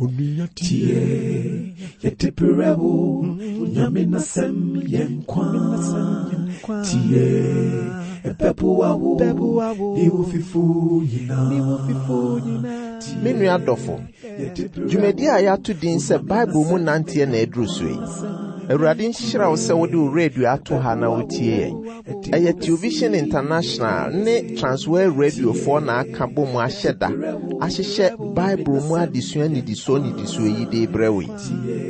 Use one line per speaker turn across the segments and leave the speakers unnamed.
Onua tie, yɛde brɛ wo, Nyame n'asɛm yɛ nkwa. Tie, ɛbɛboa wo, ne wo fifo nyinaa.
Me nua dɔfo, dwumadi a yɛato din sɛ Bible mu nanteɛ na aduru so yi. Awurade nhyira wo sɛ wode wo radio ato ha na wotie yɛn. Ɛyɛ Television International ne Transworld Radiofoɔ na aka bɔ mu ahyɛ da ahyehyɛ Bible mu adesua nnidisoɔ nnidisoɔ yi de rebrɛ wo yi.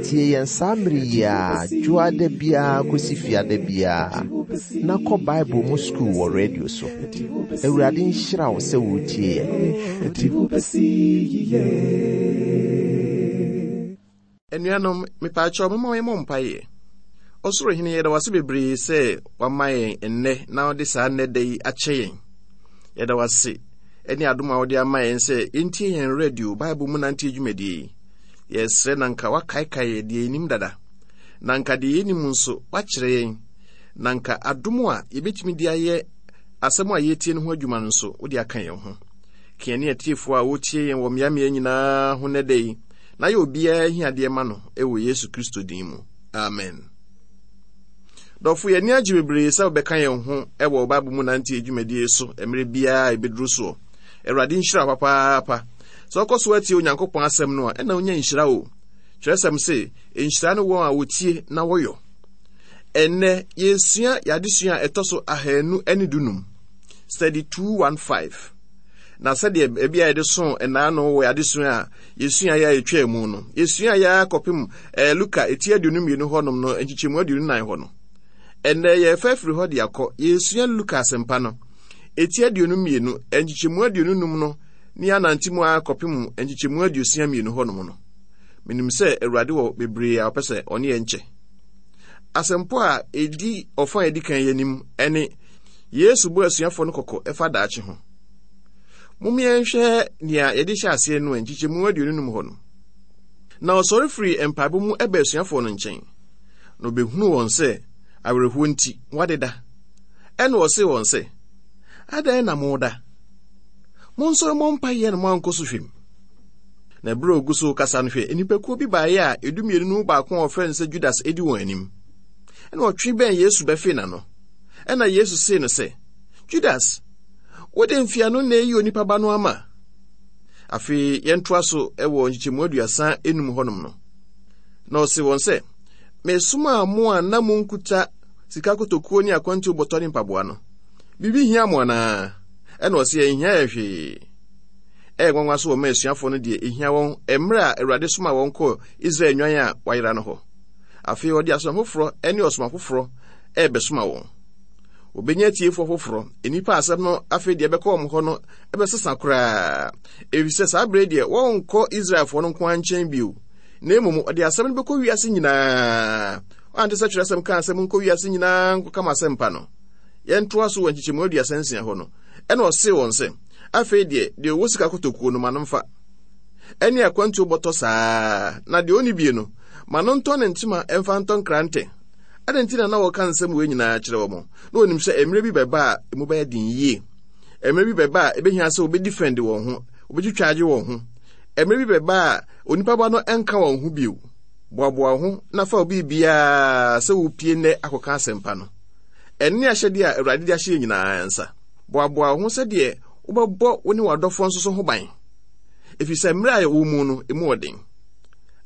Tie yɛn saa mmere yi ara, dwoada biara kɔsi fiada biara, na kɔ Bible mu sukuu wɔ radio so. Awurade nhyira wo sɛ woretie yɛn.
Anuanom, mepaakyɛw momma yɛmmɔ mpaeɛ. Ɔsoro Hene, yɛda wo ase bebree sɛ wama yɛn nnɛ na wode saa nnɛ da yi akyɛ yɛn. Yɛda wo ase ne adom a wode ama yɛn sɛ yɛntie yɛn radio Bible mu nanteɛ dwumadie yi. Yɛsrɛ na nka woakaekae yɛ deɛ yɛnim dada, na nka deɛ yɛnim nso woakyerɛ yɛn, na nka adom a yɛbɛtumi de ayɛ asɛm a yɛretie no ho adwuma no nso wode aka yɛn ho. Ka yɛne atiefoɔ a wɔtie yɛn wɔ mmeammea nyinaa ho nnɛ da yi na yɛ obiara ahiadeɛ ma no wɔ Yesu Kristo din mu. Amen. Dɔfo, yɛn ani agye bebree sɛ wobɛka yɛn ho wɔ Bible mu nanteɛ dwumadie so mmerɛ biara a ɛbɛduru soɔ. Awurade nhyira wo papaapa. Sɛ wokɔ so atie Onyankopɔn asɛm no a, ɛna wonya nhyira o. Kyerɛsɛm se, nhyira ne wɔn a wɔtie na wɔyɔ. Ɛnnɛ, yɛresua yɛn adesua a ɛtɔ so ahanu ne dunum, study 215. Na sɛdeɛ baabi a yɛde so nnaano wɔ yɛn adesua a yɛsuaeɛ a yɛtwaa mu no, yɛsuaeɛ ara kɔpem eh, Luka eti 22 hɔnom no, nkyekyɛmu 24 hɔ no. Ɛnnɛ yɛrefa afiri hɔ de akɔ, yɛresua Luka asɛmpa no, eti 22, nkyekyɛmu 25 no, ne yɛanante mu ara kɔpem nkyekyɛmu 62 hɔnom no. Menim sɛ Awurade wɔ bebree a ɔpɛ sɛ ɔne yɛn kyɛ. Asɛmpɔ a ɛdi ɔfa a ɛdi kan yi anim ne Yesu bɔ asuafoɔ no kɔkɔ ɛfa daakye ho. Mom yɛnhwɛ nea yɛde hyɛ aseɛ no nkyekyɛmu 25 hɔ no. Na ɔsɔre firii mpaebɔ mu ɛbaa asuafoɔ no nkyɛn, na ɔbɛhunuu wɔn sɛ awerɛhoɔ nti wɔadeda. Ɛnna ɔsee wɔn sɛ, Adɛn na moda? Monsɔre mmɔ mpaeɛ na moankɔ sɔhwɛ mu. Na berɛ a ɔgu so rekasa no, hwɛ, nnipakuo bi baeɛ a edumienu no mu baako a wɔfrɛ no sɛ Judas di wɔn anim. Ɛnna ɔtwe bɛn Yesu bɛfee n'ano. Ɛnna Yesu see no sɛ, Judas, wode mfeano na eyi onipa ba no ama? Afei yɛntoa so wɔ nkyekyɛmu 35 hɔnom no. Na ɔse wɔn sɛ, Mesomaa mo a na monkuta sika kotokuo ne akwantuo bɔtɔ ne mpaboa no. Biribi hia mo anaa? Ɛna ɔse, Ɛnhia yɛn hwee. Ɛyɛ nwanwa so wɔma asuafoɔ no deɛ ɛhia wɔn mmerɛ a Awurade somaa wɔn kɔɔ Israel nnwan a wɔayera no hɔ. Afei ɔde asoma foforɔ ne ɔsoma foforɔ ɛrebɛsoma wɔn. Wɔbɛnya atiefoɔ foforɔ, nnipa a asɛm no afei deɛ ɛbɛkɔ wɔn hɔ no ɛbɛsesa koraa, ɛfiri sɛ saa berɛ deɛ wɔrenkɔ Israelfoɔ no nko ara nkyɛn bio, na mmom ɔde asɛm no bɛkɔ wiase nyinaa. Ɔante sɛ twerɛsɛm kaa sɛ monkɔ wiase nyinaa nkɔka mo asɛmpa no. Yɛntoa so wɔ nkyekyɛmu 36 hɔ no, ɛna ɔsee wɔn sɛ, Afei deɛ, deɛ ɔwɔ sika kotokuo no, ma no mfa, ɛne akwantuo bɔtɔ saa, na deɛ ɔnni bie no, ma no ntɔ ne ntoma mfa ntɔ nkrantɛ. Adɛn nti na na wɔka nsɛm wei nyinaa kyerɛ wɔn? Na wɔnim sɛ mmerɛ bi bɛba a emu bɛyɛ den yie. Mmerɛ bi bɛba a ɛbɛhia sɛ wɔbɛdifɛnde wɔn ho, wɔbɛtwitwa agye wɔn ho. Mmerɛ bi bɛba a onipa ba no nka wɔn ho bio. Boaboa wo ho na fa wo biribiara sɛ wopie nnɛ akɔka asɛmpa no. Ɛno ne ahyɛdeɛ a Awurade de ahyɛ yɛn nyinaa nsa. Boaboa wo ho sɛdeɛ wobɛbɔ wo ne w'adɔfoɔ nso so ho ban, ɛfiri sɛ mmerɛ a yɛwɔ mu no, emu wɔ den.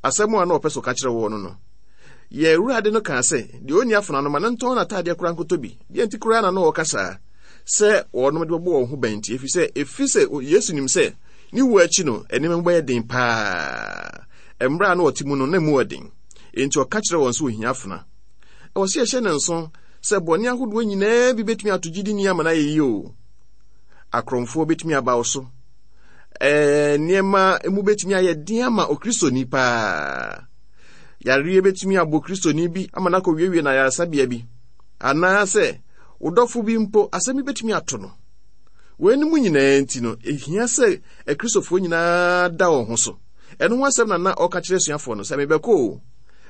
Asɛm a na ɔpɛ sɛ ɔka kyerɛ wɔn no no, yɛn Awurade no kaa sɛ, deɛ ɔnni afena no, ma no ntɔn n'ataadeɛ koraa nkɔtɔ bi. Deɛ nti koraa na na ɔreka saa? Sɛ wɔnom de bɛbɔ wɔn ho ban nti, ɛfiri sɛ ɛfiri sɛ Yesu nim sɛ ne wuo akyi no, nneɛma mu bɛyɛ den paa. Mmerɛ a na ɔte mu no, na emu wɔ den. Enti ɔka kyerɛ wɔn sɛ ohia afena. Ɛwɔ sɛ yɛhyɛ no nso sɛ bɔne ahodoɔ nyinaa bi bɛtumi ato gyidini ama no ayɛ yie o. Akorɔmfoɔ bɛtumi aba wo so. Ɛɛ, nneɛma mu bɛtumi ayɛ den ama Okristoni paa. Yareɛ bɛtumi abɔ Kristoni bi ama no akɔwiewie no ayaresabea bi. Anaasɛ wo dɔfo bi mpo, asɛm bi bɛtumi ato no. Weinom nyinaa nti no, ɛhia sɛ Akristofoɔ nyinaa da wɔn ho so. Ɛno ho asɛm na na ɔka kyerɛ asuafoɔ no sɛ, mebɛkɔ o,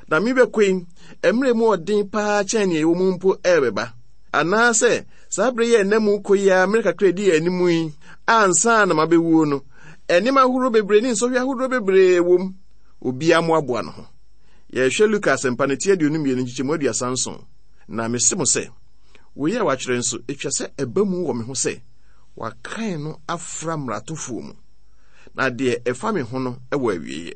na mebɛkɔ yi, mmerɛ mu ɔden paa kyɛn nea ɛwɔ mu mpo ɛrebɛba. Anaasɛ saa bere yi a ɛnam mu kɔ yi ara mmerɛ kakra ɛdi yɛn anim yi, ansa na mabɛwuo no, nneɛma ahoroɔ bebree ne nsɔhwɛ ahodoɔ bebree wɔ mu. Obiara mmoaboa ne ho. Yɛrehwɛ Luka Asɛmpa no ti 22 nkyekyɛmu 37. Na mise mo sɛ, wei a wɔatwerɛ nso, ɛtwa sɛ ɛba mu wɔ me ho sɛ, wɔakan no afra mmaratofoɔ mu. Na deɛ ɛfa me ho no wɔ awieeɛ.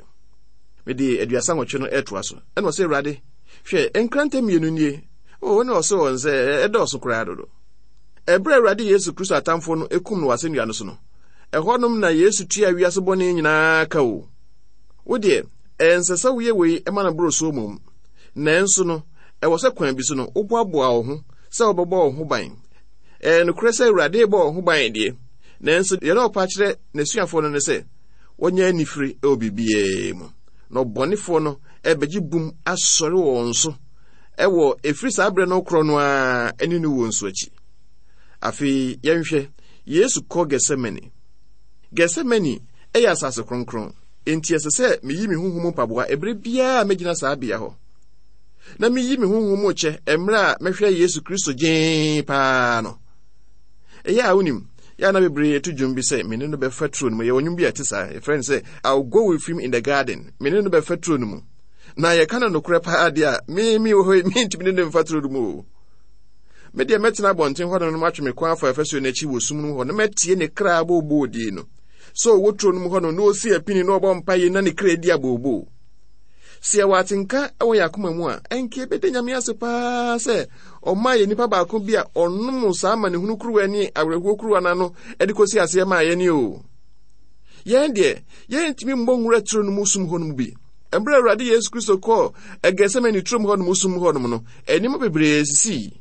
Mede 38 no retoa so. Ɛna ɔsɛ Awurade, hwɛ, nkrantɛ mmienu nie. O, ne ɔse wɔn sɛ, ɛdɔɔso koraa dodo. Ɛberɛ a Awurade Yesu Kristo atamfoɔ no kum no wɔ asɛnnua no so no, ɛhɔnom na Yesu tua wiase bɔne nyinaa ka o. Wo deɛ, ɛnsɛ sɛ woyɛ wei ma no boro so mmom. Nanso no, ɛwɔ sɛ kwan bi so no, woboaboa wo ho sɛ wobɛbɔ wo ho ban. Ɛyɛ nokorɛ sɛ Awurade rebɔ wo ho ban deɛ, nanso deɛ na ɔpa kyerɛ n'asuafoɔ no ne sɛ wɔnyɛ anifere wɔ biribiara mu. Na ɔbɔnefoɔ no ɛbɛgye bum asɔre wɔ wɔn so ɛwɔ ɛfiri saa berɛ no korɔ no ara ne no wuo nso akyi. Afei yɛnhwɛ Yesu kɔ Gethsemane. Gethsemane yɛ asase kronkron, enti ɛsɛ sɛ meyi me honhom mu mpaboa ɛberɛ biara a mɛgyina saa bea hɔ. Na meyi me honhom mu kyɛ mmerɛ a mɛhwɛ Yesu Kristo gyee paa no. Ɛyɛ a wonim, yɛ a na bebree to dwom bi sɛ me ne no bɛfa turo no mu. Yɛwɔ nnwom bi a ɛte saa, yɛfrɛ no sɛ I'll go with him in the garden. Me ne no bɛfa turo no mu. Na yɛka no nokorɛ paa deɛ a, me me wɔ hɔ yi, mentumi ne no mfa turo no mu o. Me deɛ mɛtena abɔnten hɔ no matwe me kɔn afa afasuo no akyi wɔ sum no mu hɔ na matie ne kra abooboodie no. Sɛ ɔwɔ turo no mu hɔ no na ɔsi apini na ɔbɔ mpaeɛ na ne kra di abooboo. Sɛ yɛwɔ atenka wɔ yɛn akoma mu a, ɛnka yɛbɛda Nyame ase paa sɛ ɔmaa yɛn nipa baako bi a ɔnom saa amanehunu kuruwa ne awerɛhoɔ kuruwa no ano de kɔsi aseɛ maa yɛn o. Yɛn deɛ, yɛntumi mmɔ nwura turo no mu sum hɔ no mu bi. Mmerɛ Awurade Yesu Kristo kɔɔ Getsemane turom hɔ nom sum hɔ nom no, nneɛma bebree sisii.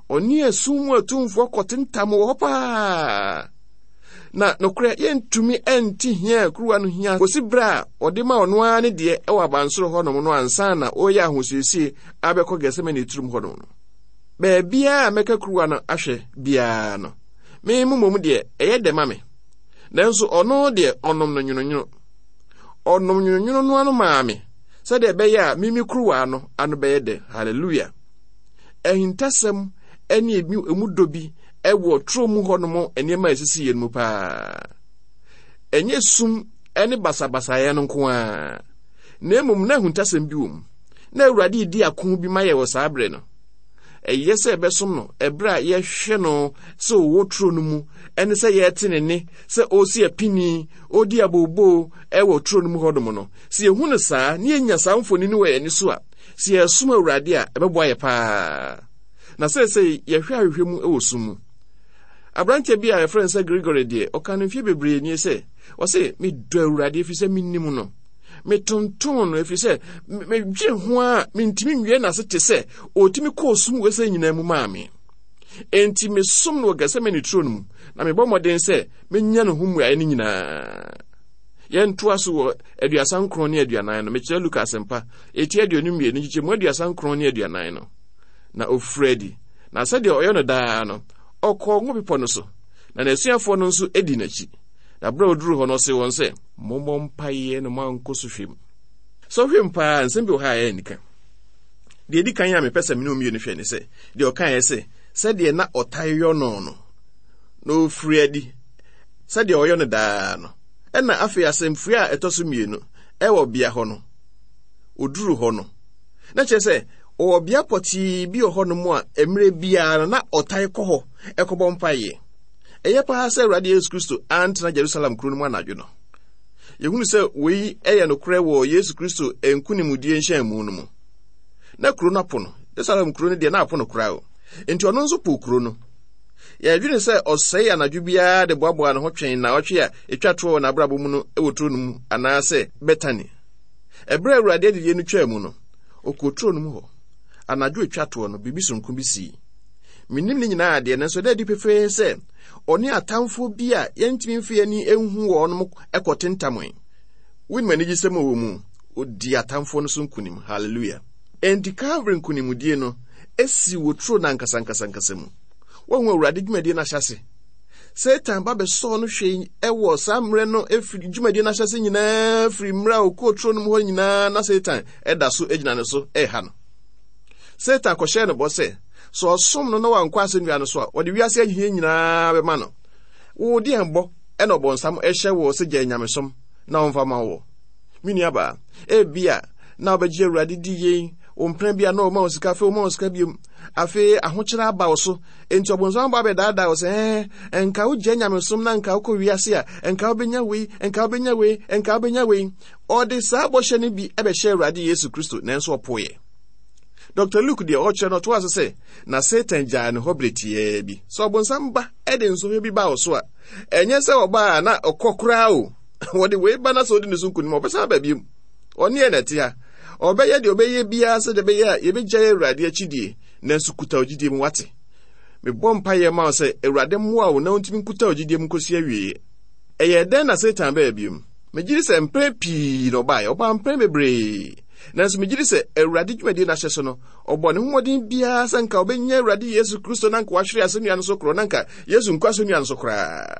Ɔne esum mu atumfoɔ kɔtentam wɔ hɔ paa. Na nokorɛ yɛntumi nte hia a kuruwa no hia kɔsi berɛ a ɔde ma ɔno ara ne deɛ wɔ abansoro hɔnom no ansa na ɔreyɛ ahosiesie abɛkɔ Getsemane turom hɔnom no. Baabiara a mɛka kuruwa no ahwɛ biara no, me mmom deɛ ɛyɛ dɛ ma me. Nanso ɔno deɛ ɔnom no nwononwono. Ɔnom nwononwono no ano maa me sɛdeɛ ɛbɛyɛ a mimi kuruwa no ano bɛyɛ dɛ. Hallelujah! Ahintasɛm ne emu dɔ bi wɔ turo mu hɔnom nneɛma a esisi yɛn mu paa. Ɛnyɛ sum ne basabasayɛ no nko ara, na mmom na ahuntasɛm bi wɔ mu. Na Awurade redi ako bi ma yɛ wɔ saa bere no. Ɛyɛ sɛ ɛbɛsom no ɛberɛ a yɛhwɛ no sɛ ɔwɔ turo no mu ɛne sɛ yɛte ne nne sɛ ɔresi apini, ɔredi abooboo ɛwɔ turo no mu hɔnom no. Sɛ yɛhu no saa na yɛnya saa mfonini wɔ yɛn ani so a, sɛ yɛsom Awurade a, ɛbɛboa yɛ paa. Na seesei yɛhwɛ ahwehwɛ mu wɔ sum mu. Aberanteɛ bi a yɛfrɛ no sɛ Gregory deɛ, ɔka no mfeɛ bebree nie sɛ, ɔse, medɔ Awurade ɛfiri sɛ menim no. Metonton no ɛfiri sɛ medwene ho a mentumi nwie n'ase te sɛ ɔtumi kɔɔ sum wɔ sɛ nyinaa mu maa me. Enti mesom no wɔ Gethsemane turo no mu na mebɔ mmɔden sɛ menya ne ho mmuaeɛ no nyinaa. Yɛntoa so wɔ 39 ne 40 no, mekyerɛ Luka Asɛmpa, ɛti 22, nkyekyɛmu 39 ne 40 no. Na ɔfirii adi, na sɛdeɛ ɔyɛ no daa no, ɔkɔɔ Ngo Bepɔ no so, na n'asuafoɔ no nso dii n'akyi. Na berɛ a ɔduruu hɔ no, ɔsee wɔn sɛ, Mommɔ mpaeɛ na moankɔ sɔhwɛ mu. Sɔhwɛ mu paa, nsɛm bi wɔ ha a ɛyɛ anika. Deɛ ɛdi kan a mepɛ sɛ me ne wo mmienu hwɛ ne sɛ, deɛ ɔkaeɛ sɛ, sɛdeɛ na ɔtae yɔ no no, na ɔfiri adi sɛdeɛ ɔyɔ no daa no. Ɛna afei asɛmfua a ɛtɔ so mmienu ɛwɔ bea hɔ no, ɔduru hɔ no, na kyerɛ sɛ Ɔwɔ bea pɔtee bi wɔ hɔnom a mmerɛ biara no na ɔtae kɔ hɔ kɔbɔ mpaeɛ. Ɛyɛ paa sɛ Awurade Yesu Kristo antena Jerusalem kuro no mu anadwo no. Yɛhunu sɛ wei yɛ nokorɛ wɔ Yesu Kristo nkonimdie nhyɛnmu no mu. Na kuro no apo no. Jerusalem kuro no deɛ na apo no koraa o. Enti ɔno nso poo kuro no. Yɛdwene sɛ ɔsɛe anadwo biara de boaboa ne ho twɛn nnawɔtwe a ɛtwa toɔ wɔ n'abrabɔ mu no wɔ turo no mu anaasɛ Betani. Ɛberɛ a Awurade adidie no twaa mu no, Ɔkɔɔ turo no mu hɔ. Anadwo a ɛtwa toɔ no, biribi soronko bi sii. Mennim ne nyinaa deɛ, nanso ɛda adi pefee sɛ ɔne atamfoɔ bi a yɛntumi mfa yɛn ani nhu wɔn kɔtentamee. Wonim anigyesɛm a ɛwɔ mu? Ɔdii atamfoɔ no so nkonim. Hallelujah! Enti Calvary nkonimdie no sii wɔ turo no ankasa ankasa ankasa mu. Woahu Awurade dwumadie no ahyɛase. Satan ba bɛsɔɔ no hwɛe wɔ saa mmerɛ no firi dwumadie no ahyɛase nyinaa firi mmerɛ a ɔkɔɔ turo no mu hɔ nyinaa na Satan da so gyina ne so reha no. Satan kɔhyɛɛ no bɔ sɛ, sɛ ɔsom no na wankɔ asɛnnua no so a, ɔde wiase ahia nyinaa bɛma no. Wo deɛn bɔ na ɔbɔnsam hyɛ wo sɛ gyae nyamesom na ɔmfa ma wo? Me nuabaa, ebia na wobɛgye Awurade di yei, wo mpena bi a na ɔma wo sika, afei ɔma wo sika biom. Afei ahokyere aba wo so, enti ɔbonsam aba abɛdaadaa wo sɛ, ɛɛ, nka wogya nyamesom na nka wokɔ wiase a, nka wobɛnya wei, nka wobɛnya wei, nka wobɛnya wei. Ɔde saa bɔhyɛ no bi bɛhyɛ Awurade Yesu Kristo, nanso ɔpoeɛ. Dr. Luke deɛ ɔkyerɛ no ɔtoa so sɛ, na Satan gyaa ne hɔ bere tiaa bi. Sɛ ɔbonsam ba de nsɔhwɛ bi ba wo so a, ɛnyɛ sɛ ɔba a na ɔkɔ koraa o. Wɔde wei ba na sɛ ɔdi ne so nkonim a, ɔbɛsan aba biom. Ɔne yɛn na ɛte ha. Ɔbɛyɛ deɛ ɔbɛyɛ biara sɛdeɛ ɛbɛyɛ a yɛbɛgyae Awurade akyidie, nanso kuta wo gyidie mu, wate? Mebɔ mpaeɛ ma wo sɛ Awurade mmoa wo na wontumi nkuta wo gyidie mu nkɔsi awieeɛ. Ɛyɛɛ dɛn na Satan baa biom? Megye di sɛ mpɛn pii na ɔbaeɛ. Ɔbaa mpɛn bebree. Nanso megye di sɛ Awurade dwumadie no ahyɛ so no, ɔbɔ ne ho mmɔden biara sɛ nka ɔbɛnya Awurade Yesu Kristo na nka wahwere asɛnnua no so korɔ, na nka Yesu nkɔ asɛnnua no so koraa.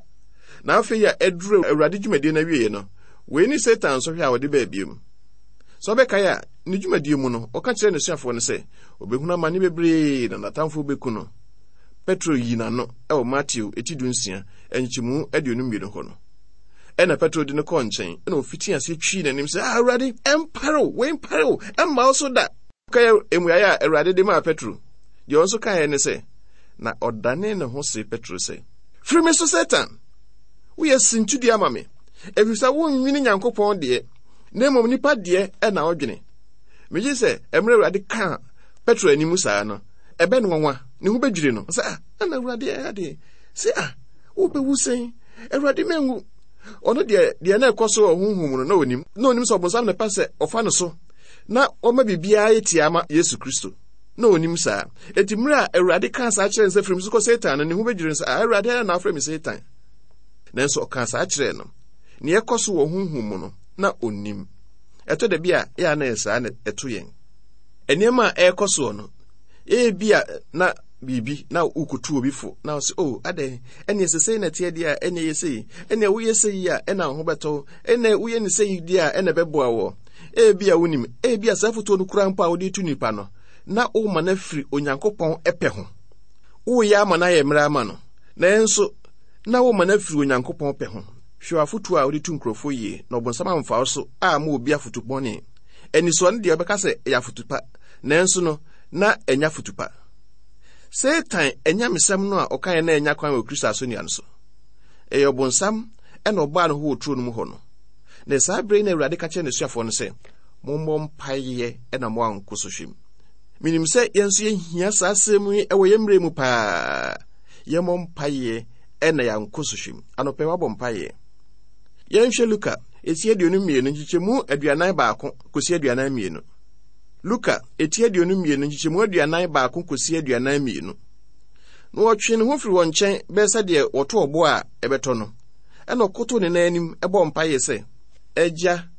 Na afei a aduru Awurade dwumadie no awieeɛ no, wei ne Satan nsɔhwɛ a ɔde baa biom. Sɛ ɔbɛkae a, ne dwumadie mu no, ɔka kyerɛɛ n'asuafoɔ no sɛ ɔbɛhunu amane bebree na n'atamfoɔ bɛku no. Petro yii n'ano wɔ Mateo eti dunsia, nkyekyɛmu 22 hɔ no. Ɛnna Petro de no kɔɔ nkyɛn, ɛnna ɔfitii aseɛ twii n'anim sɛ, Ah, Awurade, ɛmpare wo, wei mpare wo, ɛmma wo so da. Kae mmuaeɛ a Awurade de maa Petro. Deɛ ɔno nso kaeɛ ne sɛ, Na ɔdanee ne ho see Petro sɛ, Firi me so, Satan! Woyɛ sintidua ma me, ɛfiri sɛ wonnwene Nyankopɔn deɛ, na mmom nnipa deɛ na wodwene. Megye sɛ mmerɛ Awurade kaa Petro anim saa no, ɛbɛ no nwanwa, ne ho bɛdwiri no. Sɛ, ah, ɛna Awurade ɛyɛ adeɛ. Sɛ, ah, wobɛwu sɛn? Awurade menwu. Ɔno deɛ, deɛ na ɛkɔ so wɔ honhom mu no, na ɔnim. Na ɔnim sɛ ɔbonsam na ɛpɛ sɛ ɔfa no so na ɔma biribiara yɛ tiaa ma Yesu Kristo. Na ɔnim saa. Enti mmerɛ a Awurade kaa saa kyerɛɛ no sɛ, Firi me so kɔ Satan no, ne ho bɛdwiri no sɛ, Ah, Awurade ara na afrɛ me Satan. Nanso ɔkaa saa kyerɛɛ no. Nea ɛkɔ so wɔ honhom mu no, na ɔnnim. Ɛtɔ da bi a, ɛyɛ a na ɛyɛ saa na ɛto yɛn. Nneɛma a ɛrekɔ soɔ no, ebia na biribi na wokotu obi fo na ɔsɛ o oh, adɛn ɛne ɛsɛ sei na ɛteɛ deɛ a ɛne ɛyɛ sei ɛne woyɛ sei yi a ɛna wo ho bɛtɔ wo ɛne woyɛ ne sei deɛ a ɛna ɛbɛboa wɔ ebi a wonim ebi a saa fotuo no kura mpo a wode tu nipa no na woma no afiri Onyankopɔn ɛpɛ ho woyɛ ama no ayɛ mmerɛ ama no nanso na woma no afiri Onyankopɔn pɛ ho hwɛ afotuo a wode tu nkurɔfoɔ yie na ɔbonsam amfa wo so a ma obi afotu bɔne anisoɔ no deɛ ɔbɛka sɛ ɛyɛ afotu pa nanso no na ɛnyɛ afotu pa. Satan anyamesɛm no a ɔkaeɛ na ɛnya kwan wɔ Kristo asɛnnua no so. Ɛyɛ ɔbonsam ɛna ɔbaa ne ho wɔ turo no mu hɔ no. Na saa bere yi na Awurade ka kyerɛ n'asuafoɔ no sɛ, mommɔ mpaeɛ na moankɔ sɔhwɛ mu. Menim sɛ yɛn nso yɛhia saa asɛm yi wɔ yɛn mmerɛ mu paa. Yɛmmɔ mpaeɛ na yɛankɔ sɔhwɛ mu. Anɔpɛ wabɔ mpaeɛ. Yɛnhwɛ Luka eti 22 nkyekyɛmu 41 kɔsi 42. Luka, eti 22, nkyekyɛmu 41 kɔsi 42. Na ɔtwee ne ho firi wɔn nkyɛn bɛyɛ sɛ deɛ wɔto ɔbo a ɛbɛtɔ no. Ɛna ɔkoto ne nan anim bɔ mpaeɛ sɛ, Agya,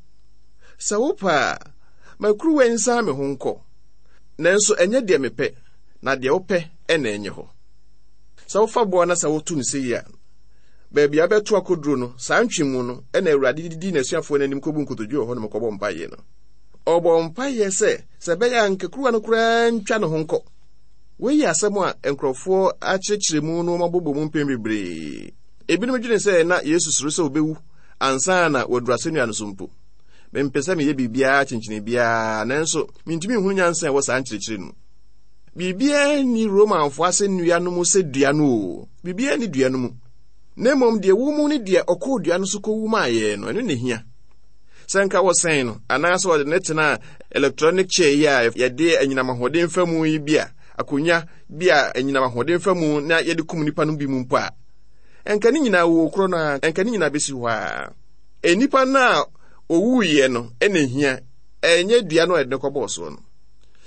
sɛ wopɛ a, ma kuruwa yi nsan me ho nkɔ. Nanso ɛnyɛ deɛ mepɛ, na deɛ wopɛ na ɛnyɛ hɔ. Sɛ wofa boa na sɛ woto no sei a, baabi a wobɛto akɔduro no, saa ntwemu no na Awurade de dii n'asuafoɔ no anim kɔbu nkotodwe wɔ hɔnom kɔbɔ mpaeɛ no. Ɔbɔɔ mpaeɛ sɛ, sɛ ɛbɛyɛ a anka kuruwa no koraa ntwa ne ho nkɔ. Wei yɛ asɛm a nkurɔfoɔ akyerɛkyerɛ mu na wɔabobɔ mu mpɛn bebree. Ebinom dwene sɛ na Yesu suro sɛ ɔbɛwu ansa na waduru asɛnnua no so mpo. Mempɛ sɛ meyɛ biribiara kyenkyene biara, nanso mentumi nhunu nyansa a ɛwɔ saa nkyerɛkyerɛ no mu. Biribiara nni Romanfoɔ asɛnnua no mu sɛ dua no o. Biribiara nni dua no mu. Na mmom deɛ ɛwɔ mu ne deɛ ɔkɔɔ dua no so kɔwu maa yɛn no, ɛno na ɛhia. Sɛ nka wɔsɛn no anaasɛ wɔde no tenaa electronic chair yi a yɛde anyinam ahoɔden fa mu yi bi a, akonnwa bi a anyinam ahoɔden fa mu na yɛde kum nipa no bi mu mpo a, nka ne nyinaa wɔ korɔ no a, nka ne nyinaa bɛsi hɔ a. Nnipa no a owuiɛ no na ehia, ɛnyɛ dua no a yɛde no kɔbɔɔ soɔ no.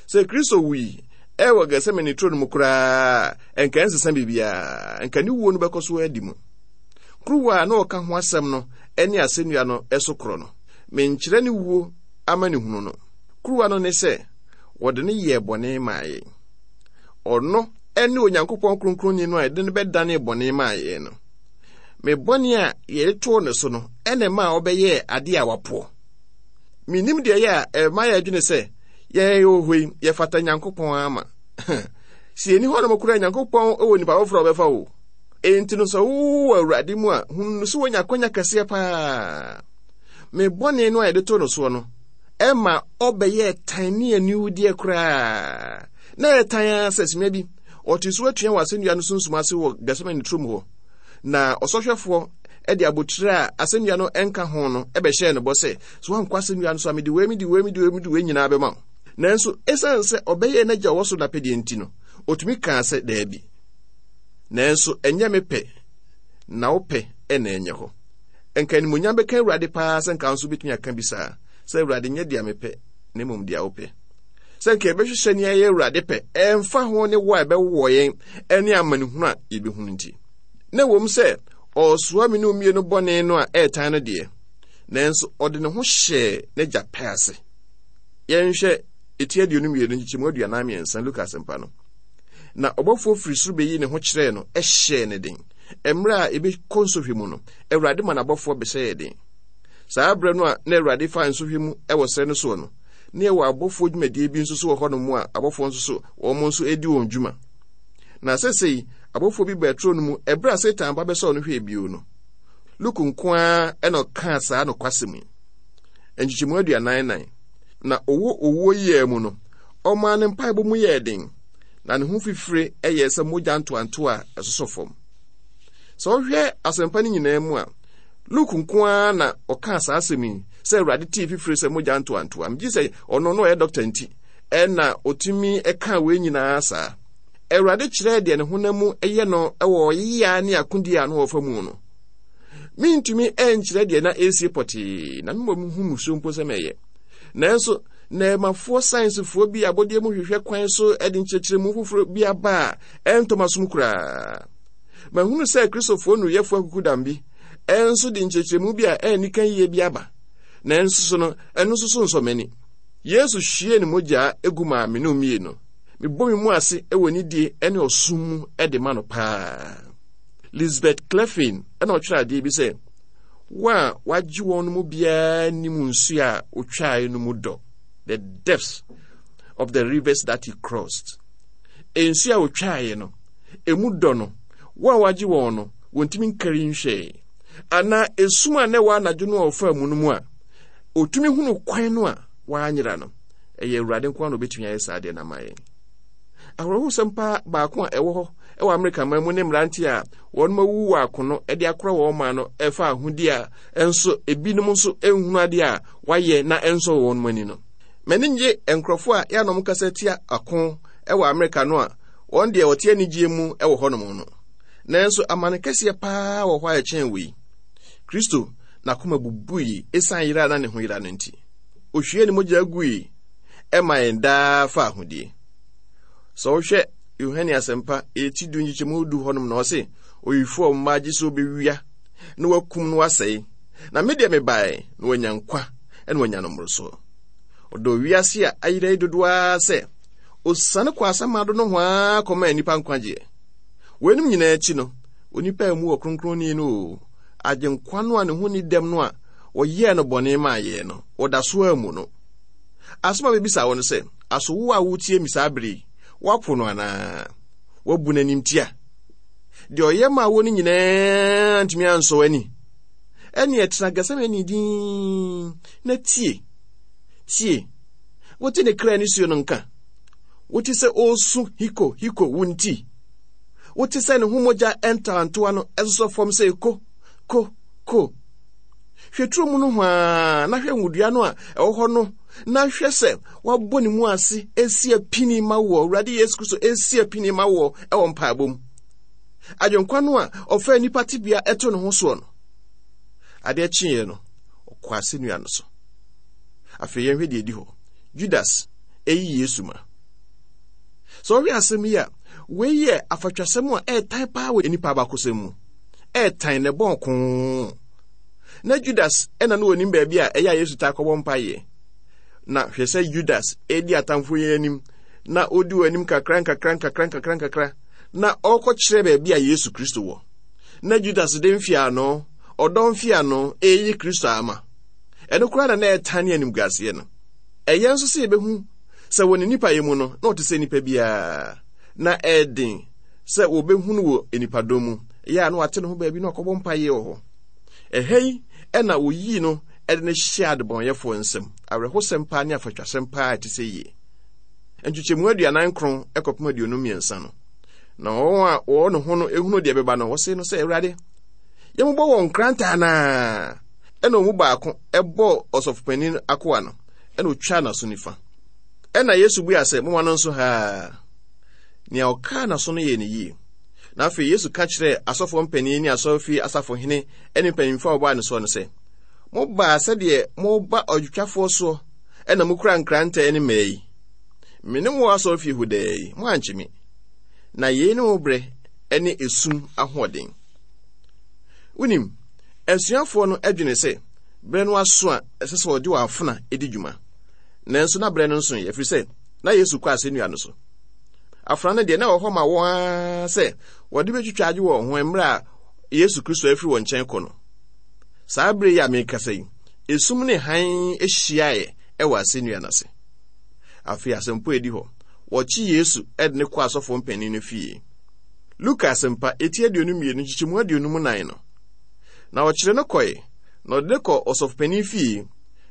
Sɛ Kristo wui ɛwɔ Gethsemane turo no mu koraa a, nka ɛnsesa biribiara, nka ne wuo no bɛkɔ so adi mu. Kuruwa a na ɔka ho asɛm no ne asɛnnua no so korɔ no, menkyerɛ ne wuo amanehunu no. Kuruwa no ne sɛ, wɔde no yɛɛ bɔne maa yɛn. Ɔno ne Onyankopɔn Kronkronni no a yɛde no bɛdanee bɔne maa yɛn no. Me bɔne a yɛde too ne so no na ɛmaa ɔbɛyɛɛ adeɛ a wapoɔ. Mennim deɛ ɛyɛ a ɛma yɛdwene sɛ yɛn wɔ hɔ yi, yɛfata Nyankopɔn ama. Sɛ yɛnni hɔnom koraa Nyankopɔn wɔ nipa foforɔ a ɔbɛfa wo. Enti no sɛ wowɔ Awurade mu a, hunu no sɛ woanya akwanya kɛseɛ paa. Me bɔne no a yɛde too no soɔ no, ɛma ɔbɛyɛɛ tan ne aniwudeɛ koraa. Na ɛyɛ tan ara sɛ simma bi, ɔte so atua wɔ asɛnnua no sunsum ase wɔ Getsemane turom hɔ. Na ɔsɔhwɛfoɔ de abotire a asɛnnua no nka ho no bɛhyɛɛ no bɔ sɛ, sɛ woankɔ asɛnnua no so a, mede wei, mede wei, mede wei, mede wei nyinaa bɛma wo. Nanso, esiane sɛ ɔbɛyɛɛ n'agya a ɔwɔ soro no apɛdeɛ nti no, ɔtumi kaa sɛ, Daabi. Nanso ɛnyɛ me pɛ, na wo pɛ na ɛnyɛ hɔ. Nka animuonyam bɛka Awurade paa sɛ nka nso wobɛtumi aka bi saa, sɛ Awurade nyɛ deɛ mepɛ, na mmom deɛ wopɛ. Sɛ nka yɛbɛhwehwɛ nea ɛyɛ Awurade pɛ, ɛmfa ho ne wo a ɛbɛwowɔ yɛn ne amanehunu a yɛbɛhunu nti. Na ɛwom sɛ ɔresoa me ne mmienu bɔne no a ɛretan no deɛ, nanso ɔde ne ho hyɛɛ n'agya pɛ ase. Yɛnhwɛ eti 22 nkyekyɛmu 43 Luka asɛmpa no. Na ɔbɔfoɔ firi soro bɛyii ne ho kyerɛɛ no hyɛɛ no den. Mmerɛ a yɛbɛkɔ nsɔhwɛ mu no, Awurade ma n'abɔfoɔ bɛhyɛ yɛn den. Saa berɛ no a na Awurade fa nsɔhwɛ mu wɔ serɛ no soɔ no, na yɛwɔ abɔfoɔ dwumadie bi nso so wɔ hɔnom a abɔfoɔ nso so wɔn nso redi wɔn dwuma. Na sɛsɛi, abɔfoɔ bi baa turo no mu ɛberɛ a Satan ba bɛsɔɔ no hwɛɛ bio no. Luke nko ara na ɔkaa saa nokwasɛm yi. Nkyekyɛmu 44. Na ɔwɔ owuo yea mu no, ɔmaa ne mpaebɔ mu yɛɛ den, na ne ho fifire yɛɛ sɛ mogya ntoantoa a ɛsosɔ fam. Sɛ wohwɛ asɛmpa no nyinaa mu a, Luke nko ara na ɔkaa saa asɛm yi sɛ Awurade tee fifire sɛ mogya ntoantoa. Megye sɛ ɔno na ɔyɛ dɔkta nti ɛna ɔtumi kaa wei nyinaa saa. Awurade kyerɛɛ deɛ ne honam mu yɛ no wɔ ɔyea ne akodie a na ɔfa mu no. Mentumi nkyerɛ deɛ na ɛresie pɔtee, na mmom hu musuo mpo sɛ mɛyɛ. Nanso, nnɛɛmafoɔ sayensifoɔ bi abɔdeɛ mu hwehwɛ kwan so de nkyerɛkyerɛmu foforɔ bi aba a ɛntɔ m'asom koraa. Mahunu sɛ Kristofoɔ nnuruyɛfoɔ akukudam bi nso de nkyerɛkyerɛmu bi a ɛnni kan yie bi aba, nanso so no, ɛno nso so nsɔ m'ani. Yesu hwiee ne mogya gu maa me ne mmienu. Mebɔ me mu ase wɔ nidie ne ɔsom mu de ma no paa. Lisbeth Cleffin na ɔtwerɛ adeɛ bi sɛ, Wo a wagye wɔn no mu biara nim nsuo a otwae no mu dɔ, the depths of the rivers that he crossed. Nsuo a otwaeɛ no, emu dɔ no, wo a wagye wɔn no, wɔntumi nkari nhwɛe. Anaa esum a na ɛwɔ anadwo no a ɔfaa mu no mu a, otumi hunu kwan no a wanyera no. Ɛyɛ Awurade nko ara na obetumi ayɛ saa adeɛ no ama yɛn. Awerɛhosɛm paa baako a ɛwɔ hɔ wɔ Amerika man mu ne mmerante a wɔn awuwu wɔ akono de akora wɔn man no ɛfa ahodi a nso ebinom nso nhunu adeɛ a wɔayɛ na ɛnsɔ wɔn ani no. M'ani nnye nkurɔfoɔ a yɛanom kasa tia ako wɔ Amerika no a wɔn deɛ wɔte anigyeɛ mu wɔ hɔnom no. Nanso amane kɛseɛ paa wɔ hɔ a ɛkyɛn wei. Kristo n'akoma bubui esiane yera a na ne ho yera no nti. Ohwiee ne mogya gui ɛma yɛn daa fa ahodie. Sɛ wohwɛ Yohane Asɛmpa eti du nkyekyɛmu du hɔnom na ɔse, Owifoɔ mma gye sɛ obewia na wakum na wasɛe. Na me deɛ mebae na wanya nkwa na wanya no mmorosoɔ. Ɔdɔ wiase a ayera yi dodoɔ ara sɛ osiane kɔ asamando nohoa kɔmaa nnipa nkwagyeɛ. Weinom nyinaa akyi no, onipa a emu wɔ kronkronni no o, Agyenkwa no a ne ho nni dɛm no a wɔyɛɛ no bɔne maa yɛn no, wɔda so ara mu no. Asɛm a mebisa wo no sɛ, aso wo a woretie me saa bere yi, woapo no anaa? Woabu no animtia? Deɛ ɔyɛ maa wo no nyinaa ntumi ansɔ w'ani? Ɛnneɛ tena Gethsemane dinn na tie. Tie. Wote ne kra nisuo no nka? Wote sɛ ɔresu hiko hiko wo nti? Wote sɛ ne ho mogya ntoantoa no ɛsosɔ fam sɛ ko ko ko? Hwɛ turo mu nohoa na hwɛ ngodua no a ɛwɔ hɔ no na hwɛ sɛ wabɔ ne mu ase esi apini ma woɔ, Awurade Yesu Kristo esi apini ma woɔ ɛwɔ mpaebɔ mu. Agyenkwa no a ɔfaa nnipa tebea ɛto ne ho soɔ no, adeɛ kyeeɛ no, ɔkɔ asɛnnua no so. Afei yɛnhwɛ deɛ ɛdi hɔ. Judas ɛyi Yesu ma. Sɛ ɔhwɛ asɛm yi a, wei yɛ afatwasɛm a ɛretan paa wɔ nnipa abakɔsɛm mu. Ɛretan na ɛbɔn koo. Na Judas ɛna no wɔnim baabi a ɛyɛ a Yesu taa kɔbɔ mpaeɛ. Na hwɛ sɛ Judas ɛredi atamfo yi anim na ɔdi wɔn anim kakra nkakra nkakra nkakra nkakra na ɔrekɔkyerɛ baabi a Yesu Kristo wɔ. Na Judas de mfeano, ɔdɔ mfeano, ɛreyi Kristo ama. Ɛno koraa na na ɛtan ne animguaseɛ no. Ɛyɛ nso sɛ yɛbɛhu sɛ wɔ ne nipayɛ mu no, na ɔte sɛ nipa biara. Na ɛyɛ den sɛ wɔbɛhu no wɔ nnipadɔm mu. Ɛyɛ a na wate ne ho baabi na ɔkɔbɔ mpaeɛ wɔ hɔ. Ɛha yi ɛna wɔyii no de no hyɛɛ adebɔnyɛfoɔ nsam. Awerɛhosɛm paa ne afatwasɛm paa a ɛte sɛ yie. Nkyekyɛmu 49 kɔpem 53 no, na wɔn a wɔwɔ ne ho no ehunu deɛ ɛbɛba no, wɔse no sɛ, Awurade, yɛmmobɔ wɔn nkrantɛ anaa? Ɛna wɔn mu baako bɔɔ ɔsɔfopanin akoa no, ɛna otwaa n'aso nifa. Ɛna Yesu bua sɛ, Momma no nso haa. Nea ɔkaa n'aso no yɛɛ no yie. Na afei Yesu ka kyerɛɛ asɔfoɔ mpanin ne asɔrefie asafohene ne mpanyimfoɔ a wɔbaa ne soɔ no sɛ, Mobaa sɛdeɛ moreba ɔdwotwafoɔ soɔ na mokura nkrantɛ ne mmaa yi. Me ne mo wɔ asɔrefie hɔ daa yi, moankye me. Na yei ne mo berɛ ne esum ahoɔden. Wonim, asuafoɔ no adwene sɛ berɛ no aso a ɛsɛ sɛ wɔde wɔn afena di dwuma. Nanso na berɛ no nsoeɛ, ɛfiri sɛ na Yesu kɔ asɛnnua no so. Afena no deɛ, na ɛwɔ hɔ ma wɔn ara sɛ wɔde bɛtwitwa agye wɔn ho mmerɛ a Yesu Kristo afiri wɔn nkyɛn kɔ no. Saa berɛ yi a merekasa yi, esum ne hann hyiaeɛ wɔ asɛnnua no ase. Afei asɛmpo a ɛdi hɔ, wɔkye Yesu de no kɔ asɔfoɔ mpanin no fie. Luka Asɛmpa, eti 22, nkyekyɛmu 54 no. Na ɔkyere no kɔe, na ɔde no kɔ ɔsɔfopanin fie,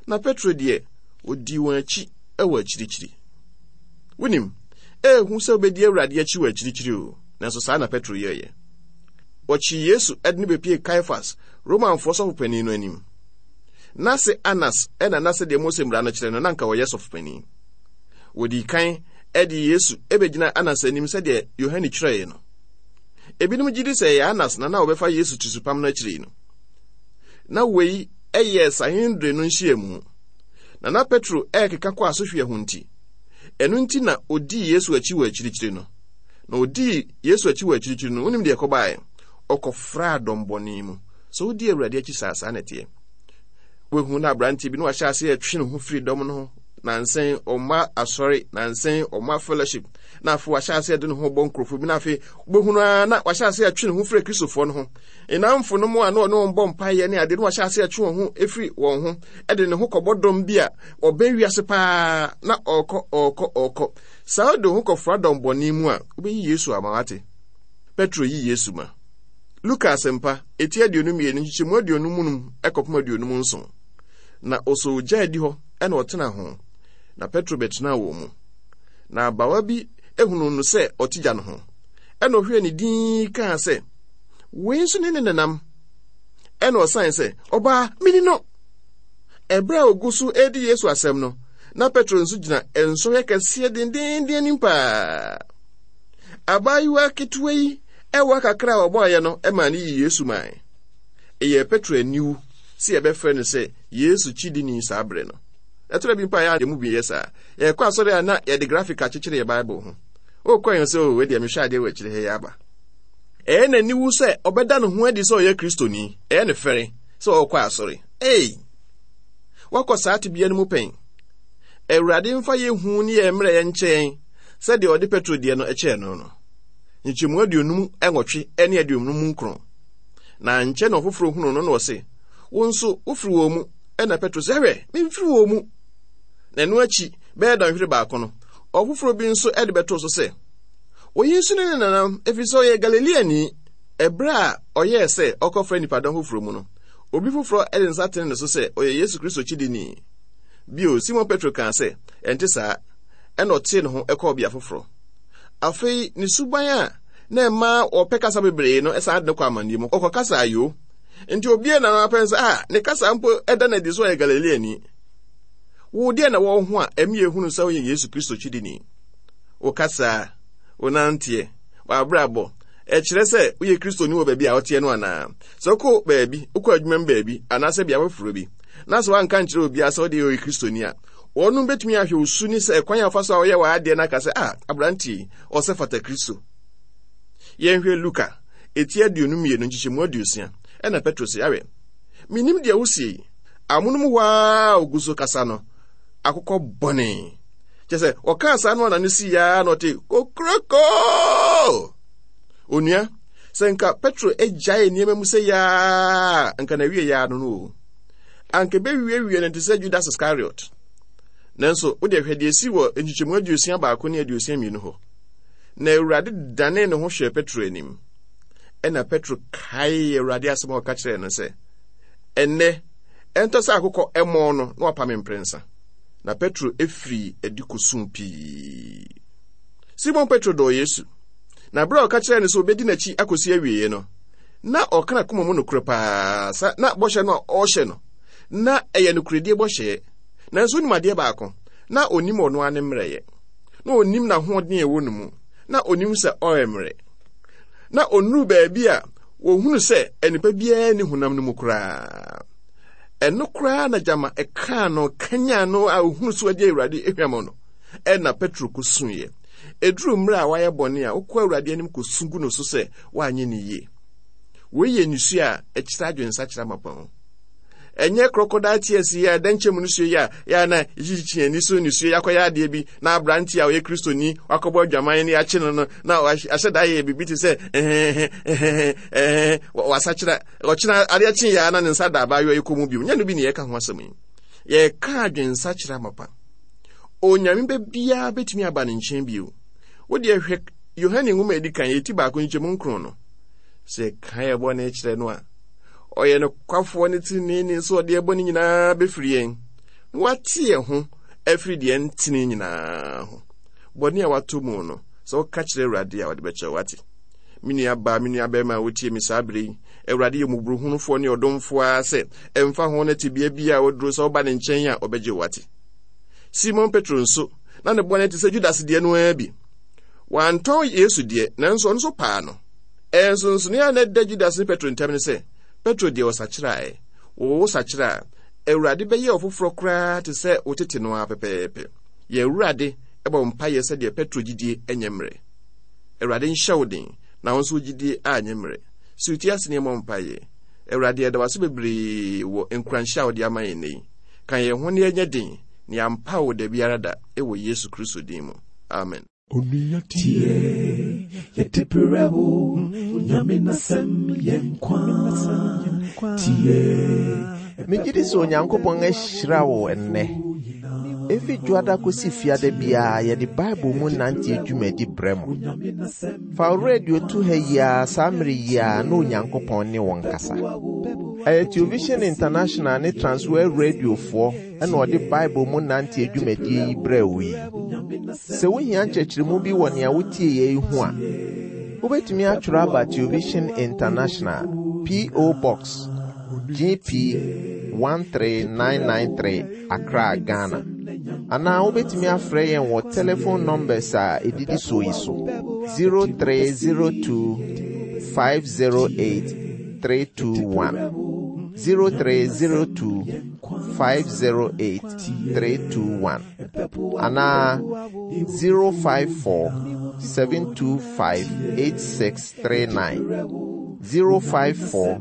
na Petro deɛ, ɔdii wɔn akyi wɔ akyirikyiri. Wonim, ɛyɛ hu sɛ wobɛdi Awurade akyi wɔ akyirikyiri o, nanso saa na Petro yɛeɛ. Wɔkyee Yesu de no bɛpiee Kaifas, Romanfoɔ sɔfopanin no anim. N'ase Anas na na sɛdeɛ Mose mmara no kyerɛ no, na anka ɔyɛ sɔfopanin. Wɔdii kan de Yesu bɛgyinaa Anas anim sɛdeɛ Yohane twerɛeɛ no. Ebinom gye di sɛ ɛyɛ Anas na na ɔbɛfa Yesu tirisopam no akyiri no. Na wei yɛ Sanhedrin no nhyiamu. Na na Petro rekeka kɔ asehweɛ ho nti, ɛno nti na ɔdii Yesu akyi wɔ akyirikyiri no. Na ɔdii Yesu akyi wɔ akyirikyiri no, wonim deɛ ɛkɔbaeɛ? Ɔkɔfraa dɔm bɔne mu. Sɛ wodi Awurade akyi saa, saa na ɛteɛ. Woahu na aberanteɛ bi na wahyɛ aseɛ retwe ne ho firi dɔm no ho. Nansɛn ɔmma asɔre, nansɛn ɔmma fellowship, na afei wahyɛ aseɛ de ne ho bɔ nkurɔfoɔ bi, na afei wobɛhunu ara na wahyɛ aseɛ retwe ne ho firi Kristofoɔ no ho. Nnamfo no mu a na ɔne wɔn bɔ mpaeɛ ne adeɛ na wahyɛ aseɛ retwe wɔn ho firi wɔn ho, de ne ho kɔbɔ dɔm bi a ɔbɛn wiase paa na ɔrekɔ ɔrekɔ ɔrekɔ. Saa wode wo ho kɔfra dɔm bɔne mu a, wobɛyi Yesu ama wate. Petro yi Yesu ma. Luka Asɛmpa, eti 22, nkyekyɛmu 55 kɔpem 57. Na ɔsɔɔ ogya adi hɔ na ɔtenaa ho, na Petro bɛtenaa wɔn mu. Na abawa bi hunuu no sɛ ɔte gya no ho, ɛna ɔhwɛɛ ne dinn kaa sɛ, Wei nso ne ne nenam. Ɛna ɔsan sɛ, Ɔbaa, mini no. Ɛberɛ a ɔgu so redi Yesu asɛm no, na Petro nso gyina nsɔhwɛ kɛseɛ dendeenden anim paa. Abaayewa ketewa yi ɛwa kakra a ɔbɔeɛ no maa no yii Yesu mae. Ɛyɛɛ Petro aniwu sɛ yɛbɛfrɛ no sɛ Yesu kyidini saa bere no. Ɛtɔ da bi mpo a yɛn mu bi yɛ saa. Yɛkɔ asɔre a na yɛde grafik akyekyere yɛn Bible ho. Wokɔ yɛn sɛ, oh, wei deɛ mehwɛ adeɛ wɔ akyire ha yi aba. Ɛyɛ n'aniwu sɛ ɔbɛda ne ho adi sɛ ɔyɛ Kristoni. Ɛyɛ ne fɛre sɛ ɔrekɔ asɔre. Ei! Woakɔ saa tebea no mu pɛn? Awurade mfa yɛn hu ne yɛn mmerɛyɛ nkyɛ yɛn sɛdeɛ ɔde Petro deɛ no kyɛɛ no no. Nkyɛmu 58 ne 59. Na ankyɛ na ɔfoforɔ hunuu no na ɔse, Wo nso, wofiri wɔn mu. Ɛnna Petro se, Hwɛ, memfiri wɔn mu. Na ɛno akyi bɛyɛ dɔnhwere baako no, ɔfoforɔ bi nso de bɛtoo so sɛ, Oyi nso ne ne nanam, ɛfiri sɛ ɔyɛ Galileani. Ɛberɛ a ɔyɛɛ sɛ ɔkɔfra nnipadɔm foforɔ mu no, obi foforɔ de nsa tene ne so sɛ ɔyɛ Yesu Kristo kyidini. Bio, Simon Petro kaa sɛ, Ɛnte saa. Ɛnna ɔtee ne ho kɔɔ bea foforɔ. Afei ne suban a na ɛma ɔpɛ kasa bebree no san de no kɔ amanneɛ mu. Ɔkɔkasaa yoo. Nti obiara na apɛn sɛ, a ne kasa mpo da no adi sɛ ɔyɛ Galileani. Wo deɛ na wɔ ho a ɛmi ehunu sɛ woyɛ Yesu Kristo kyidini. Wo kasa, wo nanteɛ, w'abrabɔ, ɛkyerɛ sɛ woyɛ Kristoni wɔ baabi a woteɛ no anaa? Sɛ wokɔ baabi, wokɔ adwuma mu baabi, anaasɛ bea foforɔ bi, na sɛ woanka nkyerɛ obiara sɛ wode ɔyɛ Kristoni a, wɔnom bɛtumi ahwɛ wo su ne sɛ ɛkwan a wofa so a woyɛ w'adeɛ no aka sɛ, ah, aberanteɛ yi, ɔsɛ fata Kristo. Yɛnhwɛ Luka, eti 22, nkyekyɛmu 60. Ɛna Petro se, Awɛ, mennim deɛ wosie yi. Amonom hɔ ara a ɔgu so kasa no, akokɔ bɔne. Kyɛ sɛ, ɔkaa saa no a n'ano sii ara na ɔte kokroko! Onua, sɛ nka Petro agyae nneɛma mu sɛ yaa, nka na awie yaa no no o. Anka ɛbɛwiewie no te sɛ Judas Iscariot. Nanso, wode hwɛ deɛ ɛsi wɔ nkyekyɛmu 61 ne 62 hɔ. Na Awurade danee ne ho hwɛɛ Petro anim. Ɛna Petro kaee Awurade asɛm a ɔka kyerɛɛ no sɛ, Ɛnnɛ, Ɛntɔ sɛ akokɔ mmɔn no, na wapa me mprɛnsa. Na Petro firii adi kosuu pii. Simon Petro dɔɔ Yesu, na bere a ɔka kyerɛɛ no sɛ obedi n'akyi akosi awieeɛ no, na ɔka n'akoma mu nokorɛ paa sa na bɔhyɛ no a ɔrehyɛ no, na ɛyɛ nokorɛdie bɔhyɛɛ. Nanso wonim adeɛ baako, na ɔnim ɔno ara ne mmerɛyɛ. Na ɔnim n'ahoɔden a ɛwɔ ne mu. Na ɔnim sɛ ɔyɛ mmerɛ. Na ɔnnuru baabi a wɔhunu sɛ nnipa biara nni honam no mu koraa. Ɛno koraa na gyama ɛkaa no kanyan no a ɔhunu so agye Awurade ahwam no. Ɛna Petro kɔsuiɛ. Ɛduru mmerɛ a wayɛ bɔne a, wokɔ Awurade anim kɔsu gu no so sɛ woanyɛ no yie. Wei yɛ nisuo a ɛkyerɛ adwensakyera mapa ho. Ɛnyɛ crocodile tears yi a ɛda nkyɛn mu nisuo yi a yɛ a na yɛkyikyi ani so nisuo yɛakɔyɛ adeɛ bi na aberante a ɔyɛ Kristoni wakɔbɔ adwaman ne yɛakye no no na ahyɛ da yɛ biribi te sɛ ɛhɛhɛhɛhɛhɛ wasakyera ɔkyena adeɛ kye yɛ a na ne nsa da abaayewa yi kɔn mu bio. Nyɛ no bi ne yɛka ho asɛm yi. Yɛka adwensakyera mapa. Onyame bɛ biara bɛtumi aba ne nkyɛn bio. Wo deɛ hwɛ Yohane nwoma a ɛdi kan yɛ ti baako nkyɛmu nkron no. Sɛ yɛka yɛ bɔne kyerɛ no a, ɔyɛ nokwafoɔ ne teneneeni nso ɔde yɛ bɔne nyinaa bɛfiri yɛn na wate yɛn ho afiri deɛ ntene nyinaa ho. Bɔne a wato mu no, sɛ woka kyerɛ Awurade a, ɔde bɛkyɛ wo ate. Me nua baa, me nua bɛrima a wotie me saa berɛ yi, Awurade yɛ mmɔborɔhunufoɔ ne ɔdomfoɔ ara sɛ ɛmfa ho ne tebea bi a waduro sɛ woba ne nkyɛn a ɔbɛgye wo ate. Simon Petro nso, na ne bɔne te sɛ Judas deɛ no ara bi. Wantɔn Yesu deɛ, nanso ɔno nso paa no. Nsonsonoeɛ a na ɛda Judas ne Petro ntam ne sɛ, Petro deɛ ɔsakyeraeɛ. Wo wosakyera a, Awurade bɛyɛ wo foforɔ koraa te sɛ wo tete no ara pɛpɛɛpɛ. Yɛn Awurade bɔ mpaeɛ sɛdeɛ Petro gyidie nyɛ mmerɛ. Awurade nhyɛ wo den na wo nso wo gyidie anyɛ mmerɛ. Si wo ti ase na yɛmmɔ mpaeɛ. Awurade, yɛda wo ase bebree wɔ nkuranhyɛ a wode ama yɛn nnɛ yi. Ka yɛn ho na yɛnyɛ den na yɛampa wo da biara da wɔ Yesu Kristo din mu. Amen.
Onua tie, yɛde brɛ wo, Onyame n'asɛm yɛ nkwa. Tie.
Megye di sɛ Onyankopɔn ahyira wo ɛnnɛ. Efi Dwoada kosi Fiada biara yɛde Bible mu nanteɛ dwumadi brɛ mo. Fa wo radio to ha yi ara saa mmere yi ara na Onyankopɔn ne wo nkasa. Ɛyɛ Television International ne Transworld Radiofoɔ na ɔde Bible mu nanteɛ dwumadie yi brɛɛ wo yi. Sɛ wohia nkyerɛkyerɛmu bi wɔ nea wotieeɛ yi ho a, wobɛtumi atwerɛ aba Television International, P.O. Box, GP 13993, Accra, Ghana. Anaa wobɛtumi afrɛ yɛn wɔ telephone numbers a ɛdidi soɔ yi so, 0302 508 321, 0302 508 321, anaa 054 725 8639, 054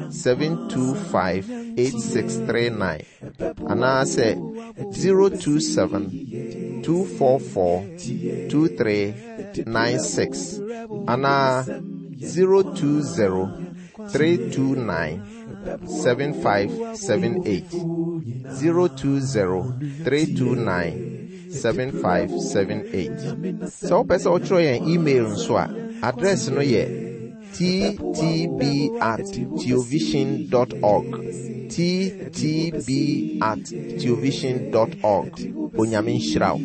725 8639, anaasɛ 027 244 2396, anaa 020 329 7578, 020 329 7578. Sɛ wopɛ sɛ wotwerɛ yɛn email nso a, address no yɛ ttb@teovision.org, ttb@teovision.org. Onyame nhyira wo.